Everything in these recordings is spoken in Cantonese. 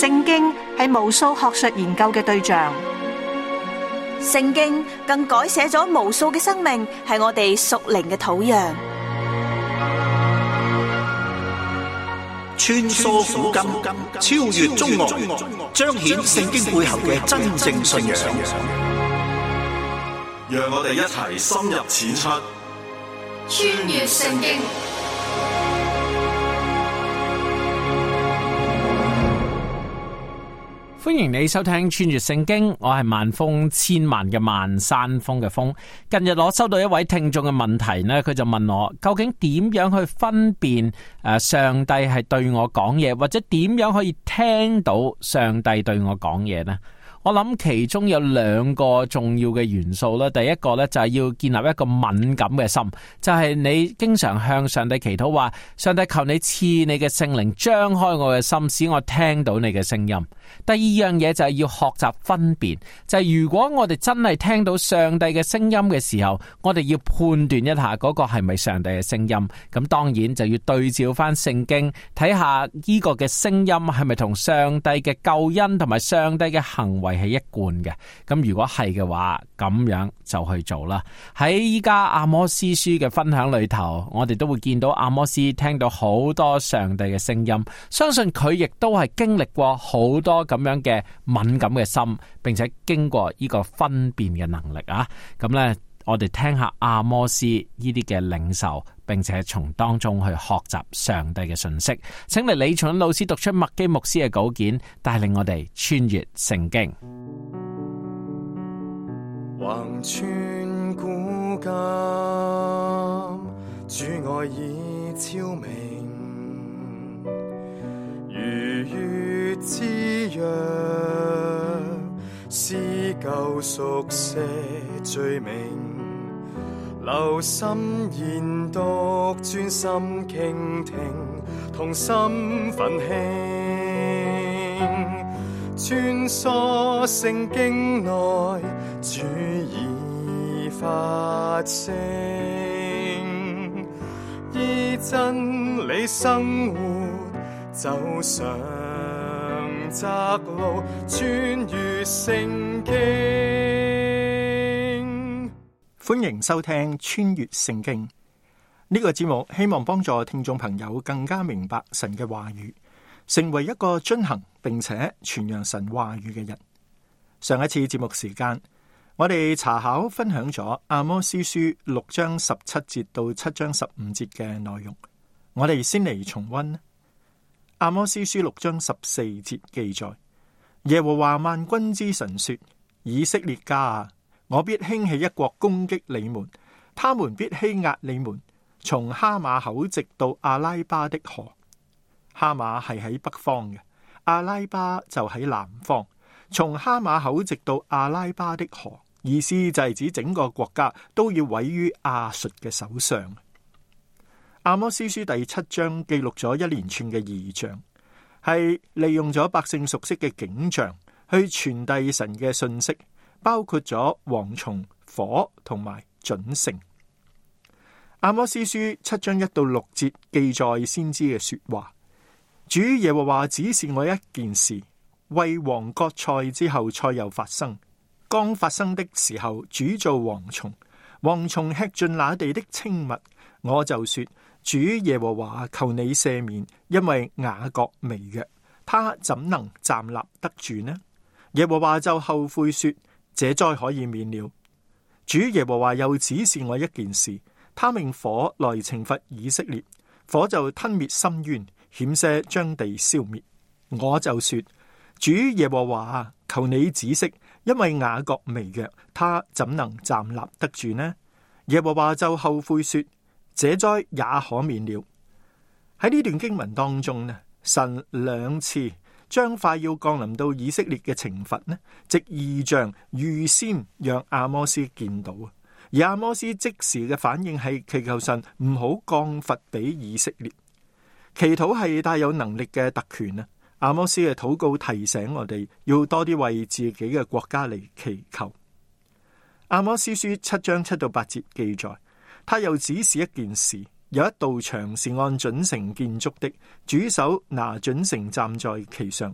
聖經係無數學術研究嘅對象，聖經更改寫咗無數嘅生命，係我哋屬靈嘅土壤。穿梭古今，超越中外，彰顯聖經背後嘅真正信仰。讓我哋一齊深入淺出，穿越聖經。歡迎你收聽穿越聖經，我係萬峰千萬嘅萬山峰嘅峰。近日我收到一位聽眾嘅問題呢，佢就問我究竟點樣去分辨上帝係對我講嘢，或者點樣可以聽到上帝對我講嘢呢？我諗其中有兩個重要嘅元素啦。第一個呢，就係要建立一個敏感嘅心，就係你經常向上帝祈禱話，上帝求你賜你嘅聖靈張開我嘅心，使我聽到你嘅聲音。第二樣嘢就係要學習分辨，就係如果我哋真係聽到上帝嘅聲音嘅時候，我哋要判斷一下嗰個係咪上帝嘅聲音。咁當然就要對照翻聖經，睇下呢個嘅聲音係咪同上帝嘅救恩同埋上帝嘅行為係一貫嘅。咁如果係嘅話，咁樣就去做啦。喺依家阿摩司書嘅分享裏頭，我哋都會見到阿摩司聽到好多上帝嘅聲音，相信佢亦都係經歷過好多咁樣嘅敏感嘅心，並且經過呢個分辨嘅能力啊。咁呢，我哋聽下阿摩司呢啲嘅領受，並且從當中去學習上帝嘅信息。請嚟李重老師讀出麥基牧師嘅稿件，帶領我哋穿越聖經。橫穿古今，主愛已超明，如月之約，撕舊熟寫罪名，留心研讀，專心傾聽，同心奮興，穿梭聖經內，主已發聲，依真理生活，走上窄路，穿越聖經。歡迎收聽穿越聖經呢個節目，希望幫助聽眾朋友更加明白神嘅話語，成為一個遵行並且傳揚神話語嘅人。上一次節目時間，我哋查考分享咗阿摩司書6章17節到7章15節嘅內容。我哋先嚟重溫阿摩司書6章14節記載，耶和華萬軍之神說：以色列家啊，我必興起一國攻擊你們，他們必欺壓你們，從哈馬口直到阿拉巴的河。哈馬係喺北方嘅，阿拉巴就喺南方。從哈馬口直到阿拉巴的河，意思就係指整個國家都要毀於亞述嘅手上。阿摩司書第7章記錄咗一連串嘅異象，係利用咗百姓熟悉嘅景象去傳遞神嘅信息，包括咗蝗蟲、火同埋準繩。阿摩司書7章1到6節記載先知嘅說話：主耶和華指示我一件事，為王割菜之後，菜又發生。剛發生的時候，主造蝗蟲，蝗蟲吃盡那地的青物。我就說：主耶和華，求你赦免，因為雅各微弱，他怎能站立得住呢？耶和華就後悔說：這災可以免了。主耶和華又指示我一件事，他命火來懲罰以色列，火就吞滅深淵，險些將地消滅。我就說：主耶和華，求你止息，因為雅各微弱，他怎能站立得住呢？耶和華就後悔說：這災也可免了。喺呢段經文當中呢，神兩次將快要降臨到以色列嘅懲罰呢，藉異象預先讓阿摩司見到，而阿摩司即時嘅反應係祈求神唔好降罰俾以色列。祈禱係帶有能力嘅特權啊！阿摩司嘅禱告提醒我哋要多啲為自己嘅國家嚟祈求。阿摩司書7章7到8節記載，他又指示一件事，有一道牆是按準繩建築的，主手拿準繩站在其上，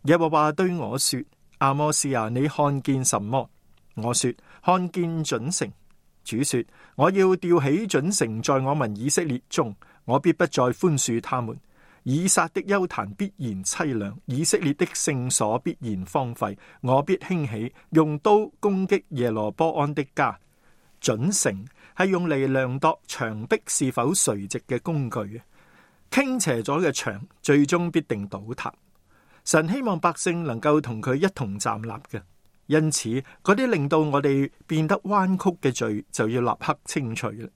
耶和華對我說：阿摩斯啊，你看見什麼？我說：看見準繩。主說：我要吊起準繩在我民以色列中，我必不再寬恕他們。以撒的邱壇必然淒涼，以色列的聖所必然荒廢。我必興起，用刀攻擊耶羅波安的家。準繩係用嚟量度牆壁是否垂直嘅工具。傾斜咗嘅牆最終必定倒塌。神希望百姓能夠同佢一同站立嘅。因此，嗰啲令到我哋變得彎曲嘅罪就要立刻清除啦。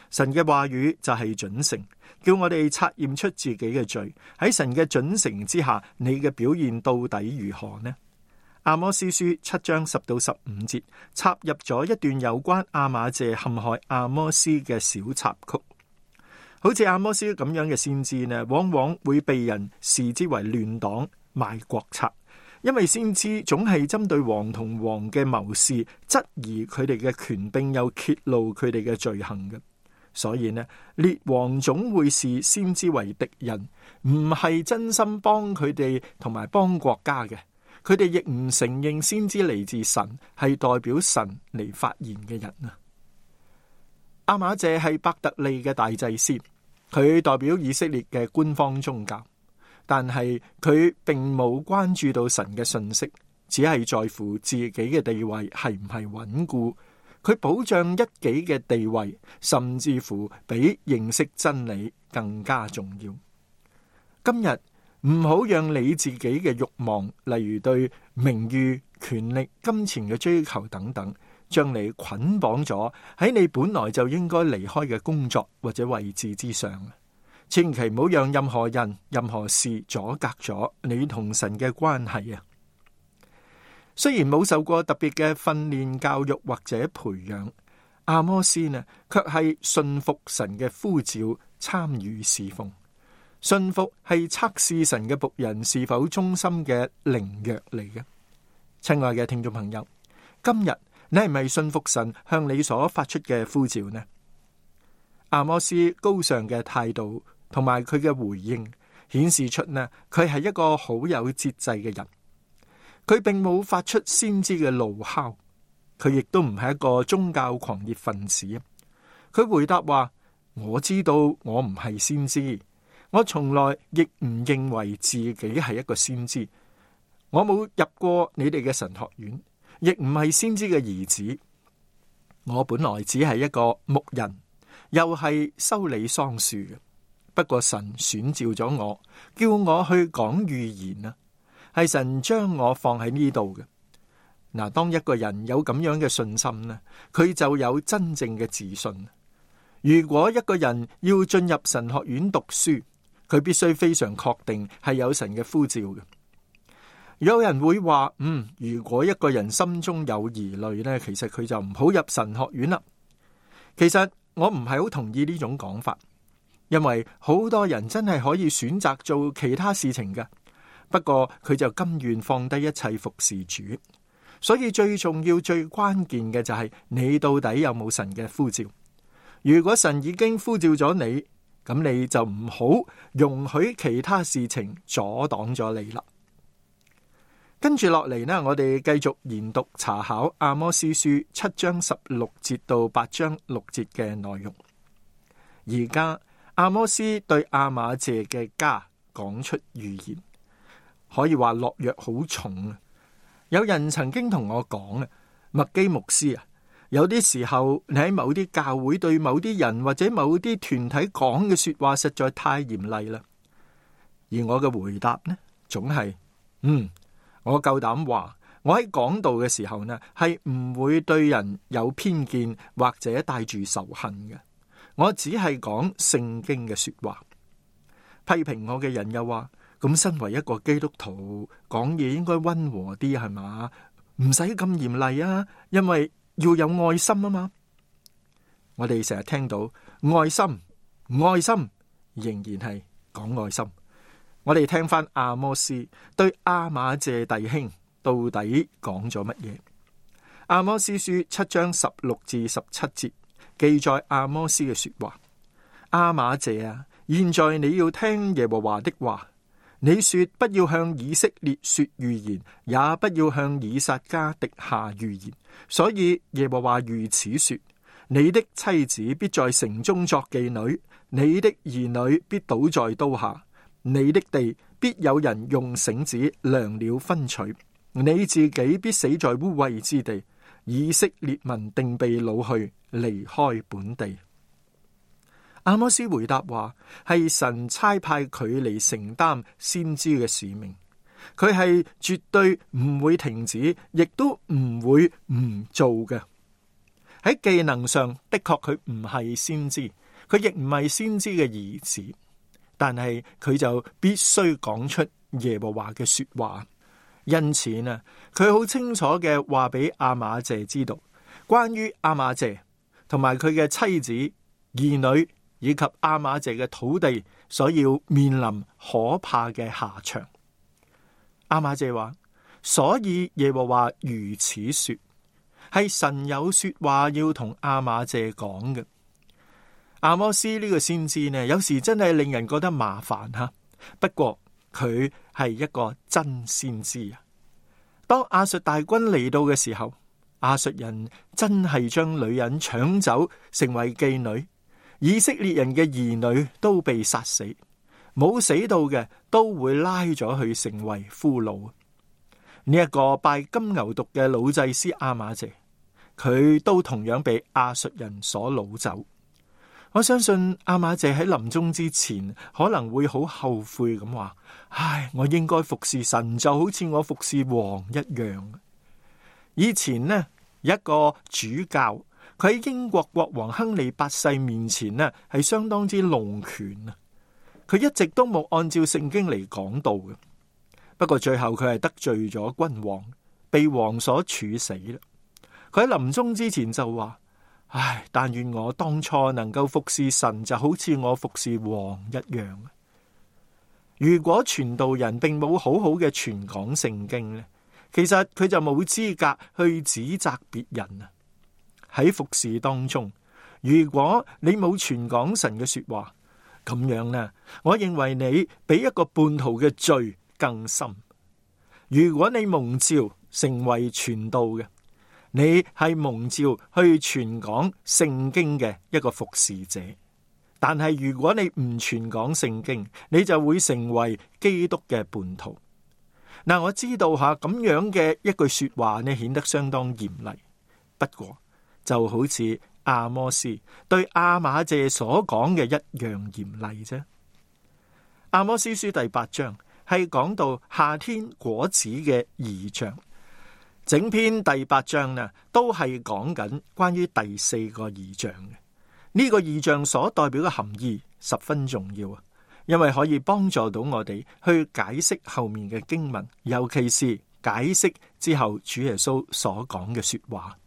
神嘅話語就係準繩，叫我哋察驗出自己嘅罪。喺神嘅準繩之下，你嘅表現到底如何呢？阿摩司書7章10到15節插入咗一段有關亞瑪謝陷害阿摩司嘅小插曲。好似阿摩司咁樣嘅先知呢，往往會被人視之為亂黨賣國賊。因為先知總係針對王同王嘅謀士，質疑佢哋嘅權柄，又揭露佢哋嘅罪行嘅。所以呢，列王總會視先知為敵人，唔係真心幫佢哋同埋幫國家嘅。佢哋亦唔承認先知嚟自神，係代表神嚟發言嘅人啊。亞瑪謝係伯特利嘅大祭司，佢代表以色列嘅官方宗教。但係佢並冇關注到神嘅信息，只係在乎自己嘅地位係唔係穩固。佢保障一己嘅地位，甚至乎比認識真理更加重要。今日唔好讓你自己嘅慾望，例如對名譽、權力、金錢嘅追求等等，將你捆綁咗喺你本來就應該離開嘅工作或者位置之上。千祈唔好讓任何人、任何事阻隔咗你同神嘅關係啊！雖然冇受過特別嘅訓練、教育或者培養，阿摩司呢，卻係信服神嘅呼召，參與侍奉。信服係測試神嘅僕人是否忠心嘅靈藥嚟嘅。親愛嘅聽眾朋友，今日你係咪信服神向你所發出嘅呼召呢？阿摩司高尚嘅態度同埋佢嘅回應，顯示出呢，佢係一個好有節制嘅人。佢並冇發出先知嘅怒哮，佢亦都唔係一個宗教狂熱分子。佢回答話：我知道我唔係先知，我從來亦唔認為自己係一個先知。我冇入過你哋嘅神學院，亦唔係先知嘅兒子。我本來只係一個牧人，又係修理桑樹嘅。不過神選召咗我，叫我去講預言啊，係神將我放喺呢度嘅。嗱，當一個人有咁樣嘅信心呢，佢就有真正嘅自信。如果一個人要進入神學院讀書，佢必須非常確定係有神嘅呼召嘅。有人會話，如果一個人心中有疑慮呢，其實佢就唔好入神學院啦。其實我唔係好同意呢種講法。因為好多人真係可以選擇做其他事情嘅，不過佢就甘願放低一切服侍主。所以最重要、最關鍵嘅就係你到底有冇神嘅呼召。如果神已經呼召咗你，咁你就唔好容許其他事情阻擋咗你啦。跟住落嚟呢，我哋繼續研讀查考阿摩司書7章16節到8章6節嘅內容。而家阿摩司對亞瑪謝嘅家講出預言，可以話落藥好重啊！有人曾經同我講啊，麥基牧師啊，有啲時候你喺某啲教會對某啲人或者某啲團體講嘅說話實在太嚴厲啦。而我嘅回答呢，總係我夠膽話，我喺講道嘅時候呢，係唔會對人有偏見或者帶住仇恨嘅。我只係講聖經嘅說話。批評我嘅人又話，咁身為一個基督徒，講嘢應該溫和啲係嘛？唔使咁嚴厲啊，因為要有愛心啊嘛。我哋成日聽到愛心，愛心仍然係講愛心。我哋聽翻阿摩司對亞瑪謝弟兄到底講咗乜嘢？阿摩司書7章16至17節。記載阿摩司嘅說話：亞瑪謝啊，現在你要聽耶和華的話，你說不要向以色列說預言，也不要向以撒家滴下預言。所以耶和華如此說：你的妻子必在城中作妓女，你的兒女必倒在刀下，你的地必有人用繩子量了分取，你自己必死在污穢之地。以色列民定被擄去，離開本地。阿摩斯回答話，係神差派佢嚟承擔先知嘅使命，佢係絕對唔會停止，亦都唔會唔做嘅。喺技能上的確佢唔係先知，佢亦唔係先知嘅兒子，但係佢就必須講出耶和華嘅說話。因此呢，佢好清楚嘅話俾亞瑪謝知道，關於亞瑪謝同埋佢嘅妻子、兒女以及亞瑪謝嘅土地所要面臨可怕嘅下場。亞瑪謝話，所以耶和華如此說，係神有說話要同亞瑪謝講嘅。阿摩斯呢個先知呢，有時真係令人覺得麻煩吓，不過佢係一個真先知啊！當亞述大軍嚟到嘅時候，亞述人真係將女人搶走，成為妓女。以色列人嘅兒女都被殺死，冇死到嘅都會拉咗去成為俘虜。呢一個拜金牛犢嘅老祭司亞瑪謝，佢都同樣被亞述人所擄走。我相信亞瑪謝喺臨終之前可能會好後悔咁話：唉，我應該服侍神，就好似我服侍王一樣。以前呢，一個主教，佢喺英國國王亨利八世面前呢，係相當之弄權啊！佢一直都冇按照聖經嚟講道嘅。不過最後佢係得罪咗君王，被王所處死啦。佢喺臨終之前就話：唉，但願我當初能夠服侍神，就好似我服侍王一樣。如果傳道人並冇好好嘅傳講聖經呢，其實佢就冇資格去指責別人啊！喺服侍當中，如果你冇傳講神嘅說話，咁樣呢，我認為你比一個叛徒嘅罪更深。如果你蒙召成為傳道嘅，你係蒙召去傳講聖經嘅一個服侍者，但係如果你唔傳講聖經，你就會成為基督嘅叛徒。嗱，我知道吓咁樣嘅一句說話呢，顯得相當嚴厲。不過就好似阿摩斯對亞瑪謝所講嘅一樣嚴厲啫。阿摩斯書第8章係講到夏天果子嘅異象。整篇第8章呢，都係講緊關於第4個異象嘅。呢個異象所代表嘅含義十分重要啊，因為可以幫助到我哋去解釋後面嘅經文，尤其是解釋之後主耶穌所講嘅說話。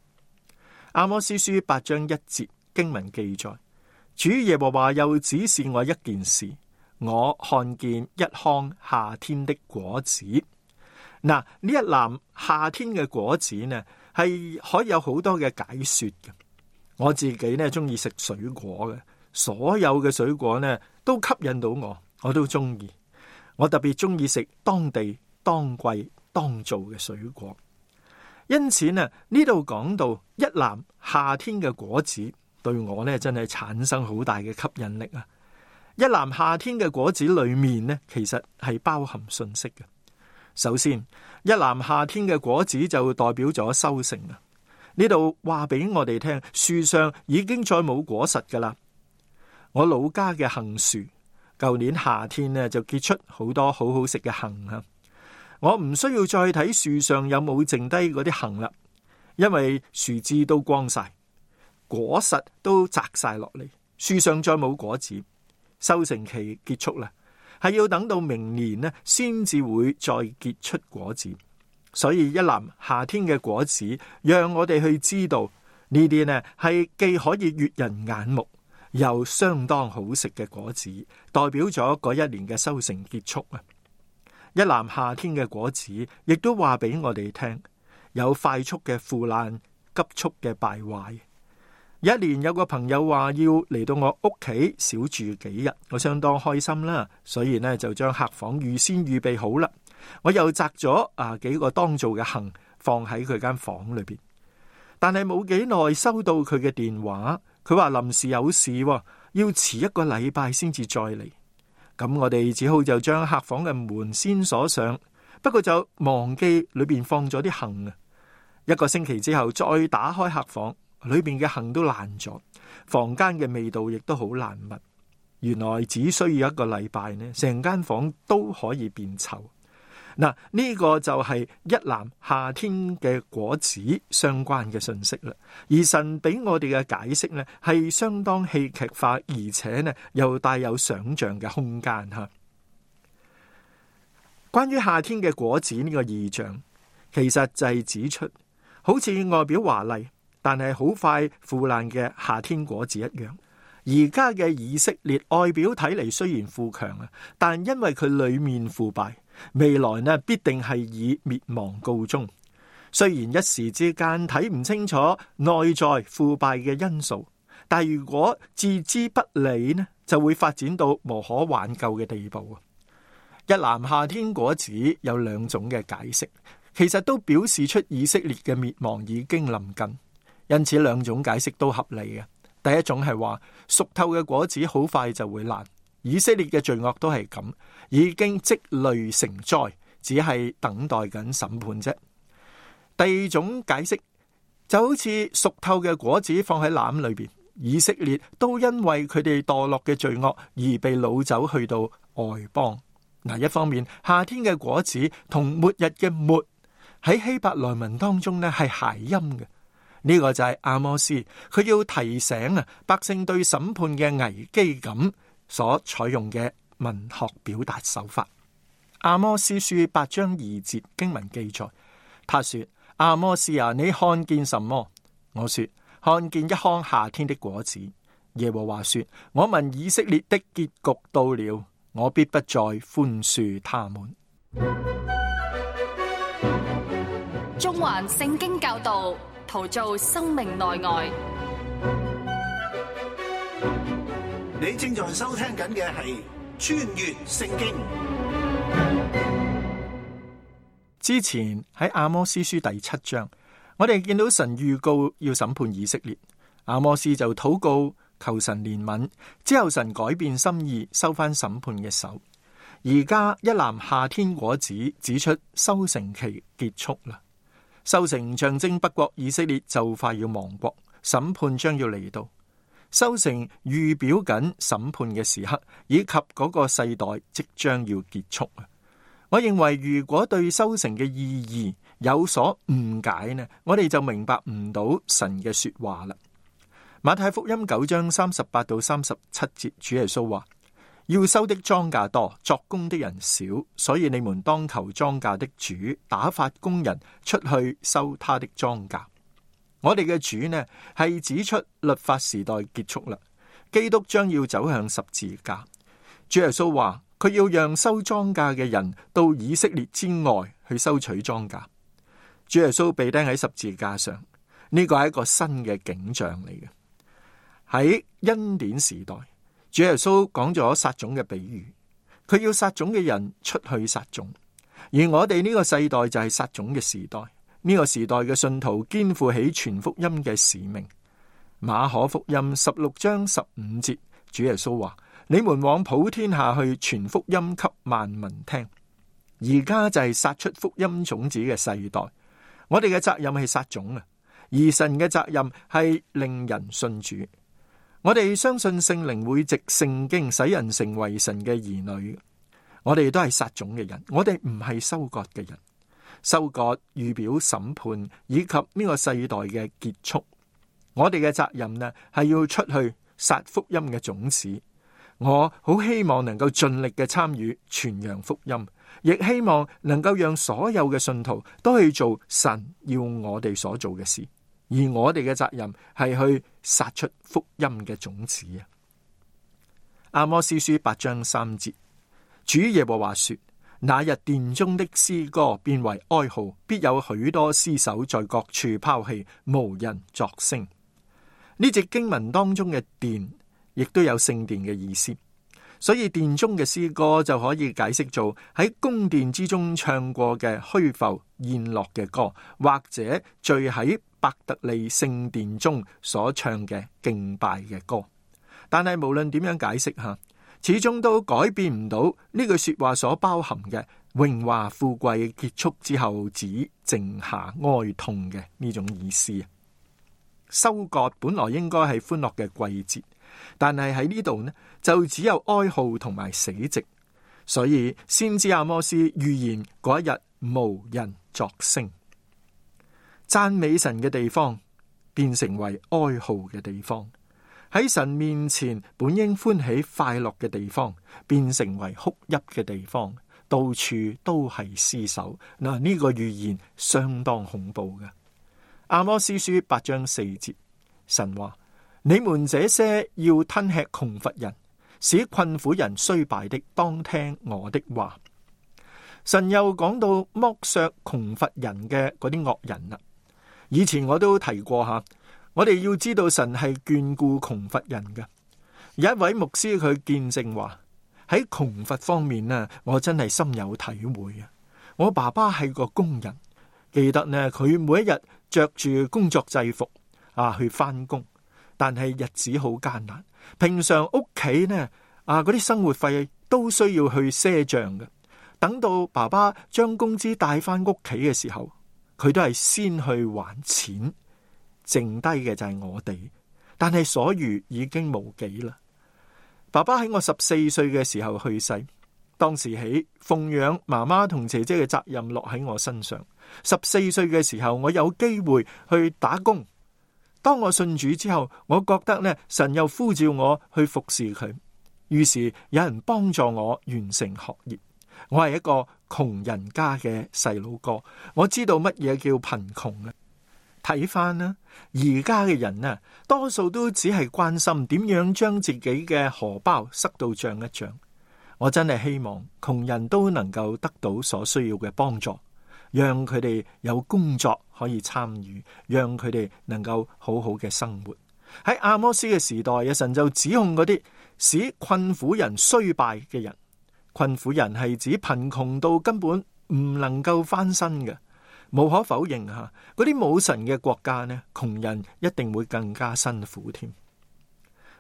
阿摩司書8章1節經文記載，主耶和華又指示我一件事，我看見一筐夏天的果子。嗱，呢一籃夏天嘅果子呢，係可以有好多嘅解說嘅。我自己呢中意食水果嘅，所有嘅水果呢都吸引到我，我都中意。我特別中意食當地、當季、當造嘅水果。因此呢，呢度講到一籃夏天嘅果子，對我呢真係產生好大嘅吸引力啊！一籃夏天嘅果子裏面呢，其實係包含信息嘅。首先，一籃夏天嘅果子就代表咗收成啊！呢度話俾我哋聽，樹上已經再冇果實噶啦。我老家嘅杏樹，舊年夏天呢就結出好多好好食嘅杏啊！我唔需要再睇樹上有冇剩低嗰啲杏啦，因為樹枝都光晒，果實都摘晒落嚟，樹上再冇果子，收成期結束啦。係要等到明年呢，先至會再結出果子。所以一籃夏天嘅果子，讓我哋去知道呢啲呢係既可以悅人眼目，又相當好食嘅果子，代表咗嗰一年嘅收成結束啊！一籃夏天嘅果子，亦都話俾我哋聽，有快速嘅腐爛，急速嘅敗壞。有一年有個朋友話要嚟到我屋企小住幾日，我相當開心啦，所以呢就將客房預先預備好啦。我又摘咗幾個當造嘅杏放喺佢間房裏邊，但係冇幾耐收到佢嘅電話，佢話臨時有事，要遲1個禮拜先至再嚟。咁我哋只好就將客房嘅門先鎖上，不過就忘記裏邊放咗啲杏啊。1個星期之後再打開客房，裏邊嘅杏都爛咗，房間嘅味道亦都好難聞。原來只需要1個禮拜呢，成間房都可以變臭。嗱，呢個就係一籃夏天嘅果子相關嘅信息啦。而神俾我哋嘅解釋呢，係相當戲劇化，而且呢又帶有想象嘅空間吓。關於夏天嘅果子呢個異象，其實就係指出好似外表華麗，但係好快腐爛嘅夏天果子一樣。而家嘅以色列外表睇嚟雖然富強啊，但因為佢裏面腐敗，未來呢必定係以滅亡告終。雖然一時之間睇唔清楚內在腐敗嘅因素，但如果置之不理呢，就會發展到無可挽救嘅地步。一籃夏天果子有2種嘅解釋，其實都表示出以色列嘅滅亡已經臨近，因此2種解釋都合理嘅。第一種係話熟透嘅果子好快就會爛，以色列嘅罪惡都係咁，已經積累成災，只係等待緊審判啫。第2種解釋就好似熟透嘅果子放喺籃裏邊，以色列都因為佢哋墮落嘅罪惡而被擄走去到外邦。嗱，一方面夏天嘅果子同末日嘅末喺希伯來文當中呢係諧音嘅。呢個就係阿摩斯，佢要提醒百姓對審判嘅危機感所採用嘅文學表達手法。阿摩斯書8章2節經文記載，他說：阿摩斯啊，你看見什麼？我說：看見一筐夏天的果子。耶和華說：我民以色列的結局到了，我必不再寬恕他們。中環聖經教導，陶造生命內外。你正在收聽緊嘅係穿越聖經。之前喺阿摩司書第7章，我哋見到神預告要審判以色列，阿摩司就禱告求神憐憫，之後神改變心意，收翻審判嘅手。而家一籃夏天果子指出收成期結束啦。收成象徵北國以色列就快要亡國，審判將要嚟到。收成預表緊審判嘅時刻，以及嗰個世代即將要結束。我認為如果對收成嘅意義有所誤解呢，我哋就明白唔到神嘅說話啦。馬太福音9章38到37節，主耶穌話：要收的莊稼多，作工的人少，所以你們當求莊稼的主打發工人出去收他的莊稼。我哋嘅主呢，係指出律法時代結束啦，基督將要走向十字架。主耶穌話佢要讓收莊稼嘅人到以色列之外去收取莊稼。主耶穌被釘喺十字架上，呢個係一個新嘅景象嚟嘅。喺恩典時代，主耶穌講咗撒種嘅比喻，佢要撒種嘅人出去撒種，而我哋呢個世代就係撒種嘅時代。呢個時代嘅信徒肩負起傳福音嘅使命。馬可福音16章15節，主耶穌話：你們往普天下去傳福音給萬民聽。而家就係撒出福音種子嘅世代，我哋嘅責任係撒種啊，而神嘅責任係令人信主。我哋相信聖靈會藉聖經使人成為神嘅兒女。我哋都係撒種嘅人，我哋唔係收割嘅人。收割預表審判以及呢個世代嘅結束。我哋嘅責任呢，係要出去撒福音嘅種子。我好希望能夠盡力嘅參與傳揚福音，亦希望能夠讓所有嘅信徒都去做神要我哋所做嘅事。而我哋嘅責任係去撒出福音嘅種子啊。阿摩司書8章3節，主耶和華說：那日殿中的詩歌變為哀號，必有許多屍首在各處拋棄，無人作聲。呢節經文當中嘅殿，亦都有聖殿嘅意思，所以殿中嘅詩歌就可以解釋做喺宮殿之中唱過嘅虛浮宴樂嘅歌，或者聚喺伯特利聖殿中所唱嘅敬拜嘅歌。但係無論點樣解釋下，始終都改變唔到呢句說話所包含嘅榮華富貴結束之後只剩下哀痛嘅呢種意思。收割本來應該係歡樂嘅季節，但係喺呢度呢，就只有哀號同埋死寂，所以先知阿摩司預言嗰一日無人作聲。讚美神嘅地方變成為哀號嘅地方，喺神面前本應歡喜快樂嘅地方變成為哭泣嘅地方，到處都係屍首。嗱，呢個預言相當恐怖嘅。阿摩司書8章4節，神話：你們這些要吞吃窮乏人，使困苦人衰敗的，當聽我的話。神又講到剝削窮乏人嘅嗰啲惡人啦。以前我都提過吓，我哋要知道神係眷顧窮乏人嘅。有一位牧師佢見證話，喺窮乏方面呢，我真係深有體會啊！我爸爸係個工人，記得呢，佢每一日着住工作制服去翻工，但係日子好艱難。平常屋企呢嗰啲生活費都需要去賒賬嘅。等到爸爸將工資帶翻屋企嘅時候，佢都係先去還錢，剩低嘅就係我哋。但係所餘已經無幾啦。爸爸喺我14歲嘅時候去世，當時起奉養媽媽同姐姐嘅責任落喺我身上。14歲嘅時候，我有機會去打工。當我信主之後，我覺得呢，神又呼召我去服侍佢，於是有人幫助我完成學業。我係一個窮人家嘅細佬哥，我知道乜嘢叫貧窮啊！睇翻啦，而家嘅人啊，多數都只係關心點樣將自己嘅荷包塞到脹一脹。我真係希望窮人都能夠得到所需要嘅幫助，讓佢哋有工作可以參與，讓佢哋能夠好好嘅生活。喺阿摩司嘅時代，神就指控嗰啲使困苦人衰敗嘅人。困苦人係指貧窮到根本唔能夠翻身嘅。無可否認吓，嗰啲冇神嘅國家呢，窮人一定會更加辛苦添。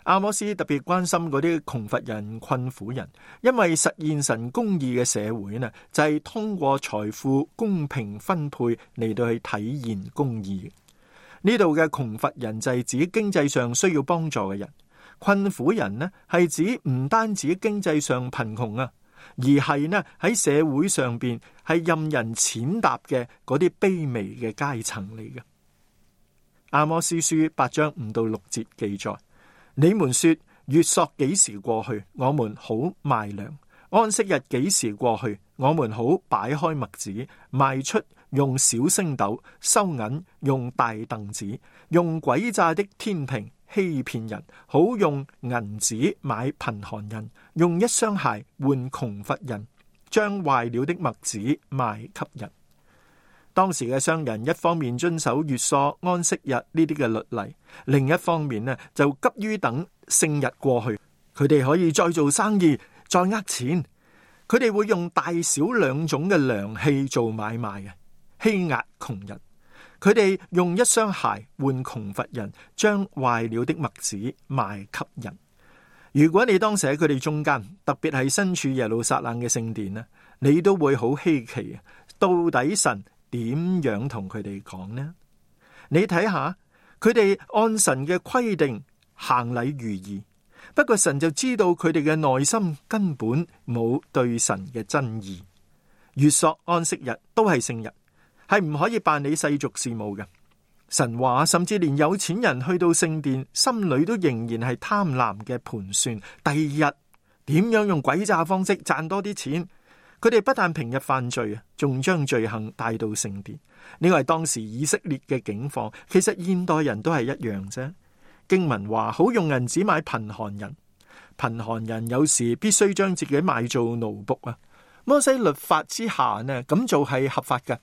阿摩司特別關心嗰啲窮乏人、困苦人，因為實現神公義嘅社會呢，就係通過財富公平分配嚟到去體現公義。呢度嘅窮乏人就係指經濟上需要幫助嘅人，困苦人呢係指唔單止經濟上貧窮啊，而係呢喺社會上邊係任人踐踏嘅嗰啲卑微嘅階層嚟嘅。阿摩司書8章5到6節記載：你們說月朔幾時過去，我們好賣糧；安息日幾時過去，我們好擺開麥子，賣出用小升斗，收銀用大凳子，用詭詐的天平欺騙人，好用銀子買貧寒人，用一雙鞋換窮乏人，將壞了的麥子賣給人。當時嘅商人一方面遵守月朔、安息日呢啲嘅律例，另一方面呢就急於等聖日過去，佢哋可以再做生意，再呃錢。佢哋會用大小兩種嘅量器做買賣嘅，欺壓窮人。佢哋用一雙鞋換窮乏人，將壞了的麥子賣給人。如果你當時喺佢哋中間，特別係身處耶路撒冷嘅聖殿呢，你都會好稀奇，到底神點樣同佢哋講呢？你睇下，佢哋按神嘅規定行禮如儀，不過神就知道佢哋嘅內心根本冇對神嘅真意。月朔、安息日都係聖日，係唔可以辦理世俗事務嘅。神話甚至連有錢人去到聖殿，心裏都仍然係貪婪嘅盤算，第二日點樣用詭詐方式賺多啲錢。佢哋不但平日犯罪啊，仲將罪行帶到聖殿。呢個係當時以色列嘅境況，其實現代人都係一樣啫。經文話好用銀子買貧寒人，貧寒人有時必須將自己賣做奴僕啊。摩西律法之下呢，咁做係合法嘅。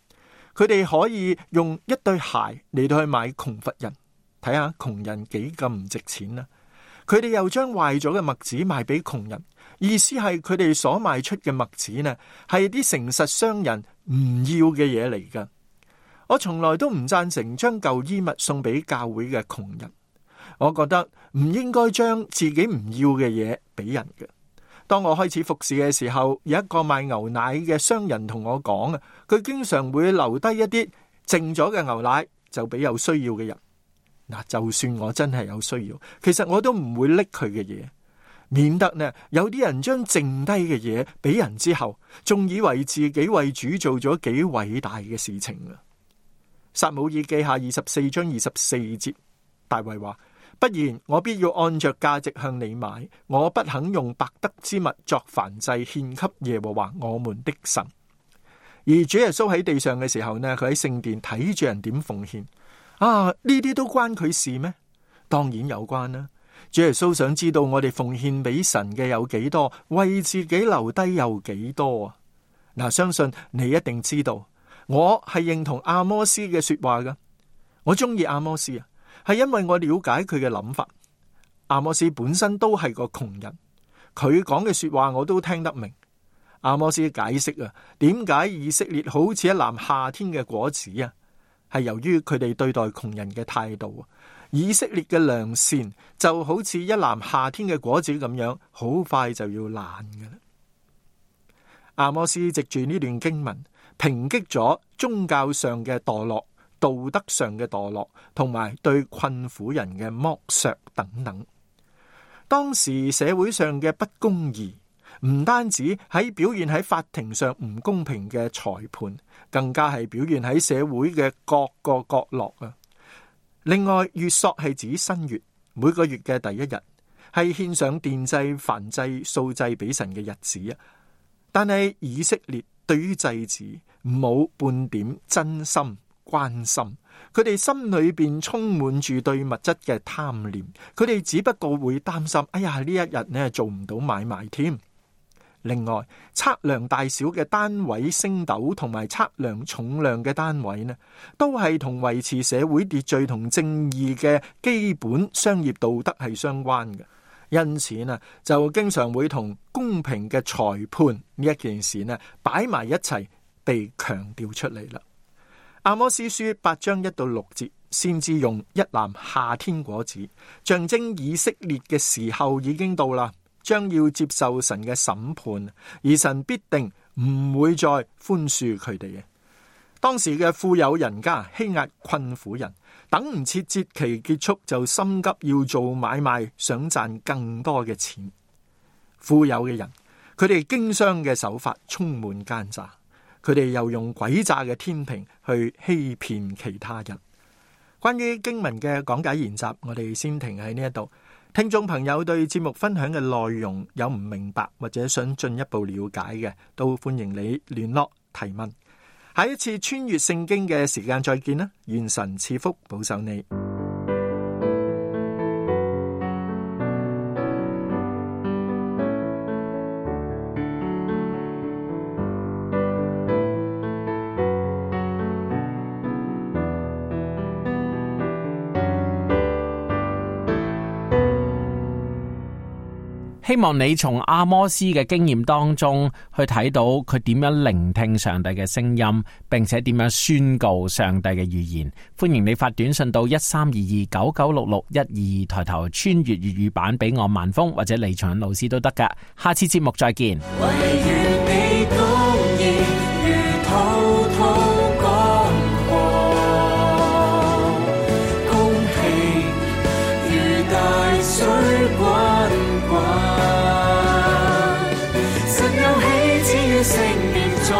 佢哋可以用一對鞋嚟到去買窮乏人，睇下窮人幾咁唔值錢啦。佢哋又將壞咗嘅麥子賣俾窮人，意思係佢哋所賣出嘅麥子呢，係啲誠實商人唔要嘅嘢嚟噶。我從來都唔贊成將舊衣物送俾教會嘅窮人。我覺得唔應該將自己唔要嘅嘢俾人嘅。當我開始服侍嘅時候，有一個賣牛奶嘅商人同我講啊，佢經常會留低一啲剩咗嘅牛奶，就俾有需要嘅人。嗱，就算我真係有需要，其實我都唔會拎佢嘅嘢，免得呢有啲人將剩低嘅嘢俾人之後，仲以為自己為主做咗幾偉大嘅事情啊！撒母耳記下24章24節，大衛話：不然我必要按着價值向你買，我不肯用白得之物作燔祭獻給耶和華我們的神。而主耶穌喺地上嘅時候呢，佢喺聖殿睇住人點奉獻啊，呢啲都關佢事咩？當然有關啦。主耶穌想知道我哋奉獻俾神嘅有幾多，為自己留低有幾多啊？嗱，相信你一定知道，我係認同阿摩斯嘅說話噶。我中意阿摩斯啊，係因為我了解佢嘅諗法。阿摩斯本身都係個窮人，佢講嘅說話我都聽得明。阿摩斯解釋啊，點解以色列好似一籃夏天嘅果子啊？係由於佢哋對待窮人嘅態度。以色列嘅良善就好似一籃夏天嘅果子咁樣，好快就要爛㗎啦。阿摩斯藉住呢段經文，抨擊咗宗教上嘅墮落、道德上嘅墮落，同埋對困苦人嘅剝削等等。當時社會上嘅不公義，唔單止喺表現喺法庭上唔公平嘅裁判，更加係表現喺社會嘅各個角落啊！另外，月朔係指新月，每個月嘅第一日，係獻上奠祭、燔祭、素祭俾神嘅日子啊！但係以色列對於祭祀冇半點真心關心，佢哋心裏邊充滿住對物質嘅貪念，佢哋只不過會擔心，哎呀，呢一日呢做唔到買賣添。另外，測量大小嘅單位升斗同埋測量重量嘅單位呢，都係同維持社會秩序同正義嘅基本商業道德係相關嘅。因此呢，就經常會同公平嘅裁判呢一件事呢擺埋一齊，被強調出嚟啦。阿摩司書8章1到6節，先至用一籃夏天果子，象徵以色列嘅時候已經到啦。將要接受神嘅審判，而神必定唔會再寬恕佢哋嘅。當時嘅富有人家欺壓困苦人，等唔切節期結束就心急要做買賣，想賺更多嘅錢。富有嘅人，佢哋經商嘅手法充滿奸詐，佢哋又用詭詐嘅天平去欺騙其他人。關於經文嘅講解研習，我哋先停喺呢一度。聽眾朋友對節目分享嘅內容有唔明白或者想進一步了解嘅，都歡迎你聯絡提問。下一次穿越聖經嘅時間再見啦，願神賜福保守你。希望你從阿摩司嘅經驗當中去睇到佢點樣聆聽上帝嘅聲音，並且點樣宣告上帝嘅預言。歡迎你發短信到1322996612，抬頭穿越粵語版俾我萬峰或者李松恩老師都得噶。下次節目再見。唯願你公義如滔滔江河，公平如大水滾滾，神有喜，只願聖殿中